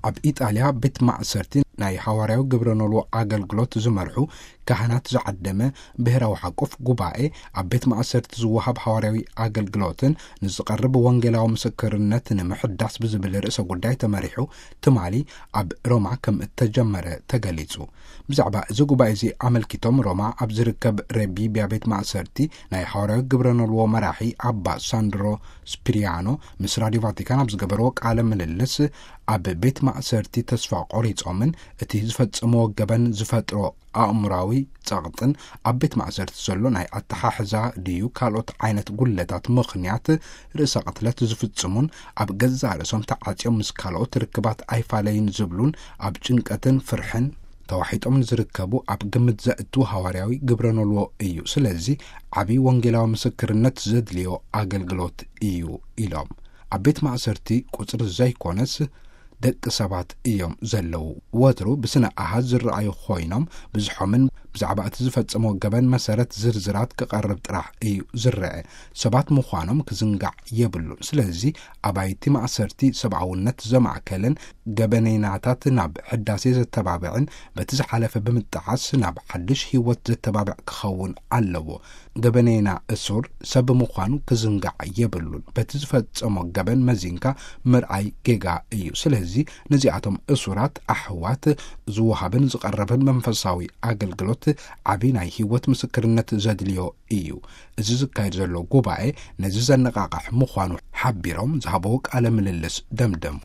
ኣብ ኢጣልያ ቤት ማእሰርቲ ናይ ሃዋርያዊ ግብረ ኖልዎ ኣገልግሎት ዝመርሑ ካህናት ዝዓደመ ብሔራዊ ሓቆፍ ጉባኤ፣ ኣብ ቤት ማእሰርቲ ዝወሃብ ሃዋርያዊ ኣገልግሎትን ንዝቐርብ ወንጌላዊ ምስክርነት ንምሕዳስ ብዝብል ርእሰ ጉዳይ ተመሪሑ ትማሊ ኣብ ሮማ ከም እተጀመረ ተገሊጹ። ብዛዕባ እዚ ጉባኤ እዚ ኣመልኪቶም ሮማ ኣብ ዝርከብ ሬቢቢያ ቤት ማእሰርቲ ናይ ሃዋርያዊ ግብረ ኖልዎ መራሒ ኣባ ሳንድሮ ስፒሪያኖ ምስ ራዲዮ ቫቲካን ኣብ ዝገበርዎ ቃለ ምልልስ፣ ኣብ ቤት ማእሰርቲ ተስፋ ቆሪጾምን እቲ ዝፈጸምዎ ገበን ዝፈጥሮ ኣእምራዊ ጸቕጥን ኣብ ቤት ማእሰርቲ ዘሎ ናይ ኣተሓሕዛ ድዩ ካልኦት ዓይነት ጉለታት ምኽንያት ርእሰ ቅትለት ዝፍጽሙን ኣብ ገዛእ ርእሶም ተዓጽዮም ምስ ካልኦት ርክባት ኣይፋለይን ዝብሉን ኣብ ጭንቀትን ፍርሕን ተዋሒጦም ንዝርከቡ ኣብ ግምት ዘእቱ ሃዋርያዊ ግብረ ኖልዎ እዩ። ስለዚ ዓብዪ ወንጌላዊ ምስክርነት ዘድልዮ ኣገልግሎት እዩ ኢሎም። ኣብ ቤት ማእሰርቲ ቁጽሪ ዘይኮነስ ደቂ ሰባት እዮም ዘለዉ። ወትሩ ብስነ ኣሃዝ ዝረኣዩ ኮይኖም፣ ብዝሖምን ብዛዕባ እቲ ዝፈጸሞ ገበን መሰረት ዝርዝራት ክቐርብ ጥራሕ እዩ ዝረአ። ሰባት ምዃኖም ክዝንጋዕ የብሉን። ስለዚ ኣባይቲ ማእሰርቲ ሰብኣውነት ዘማእከልን ገበነይናታት ናብ ሕዳሴ ዘተባብዕን በቲ ዝሓለፈ ብምጥዓስ ናብ ሓድሽ ህይወት ዘተባብዕ ክኸውን ኣለዎ። ገበነይና እሱር ሰብ ምዃኑ ክዝንጋዕ የብሉን። በቲ ዝፈጸሞ ገበን መዚንካ ምርኣይ ጌጋ እዩ። ስለዚ ነዚኣቶም እሱራት ኣሕዋት ዝወሃብን ዝቐረብን መንፈሳዊ ኣገልግሎት ዓቢ ናይ ህይወት ምስክርነት ዘድልዮ እዩ። እዚ ዝካየድ ዘሎ ጉባኤ ነዚ ዘነቓቕሕ ምዃኑ ሓቢሮም ዝሃበዎ ቃለ ምልልስ ደምደሙ።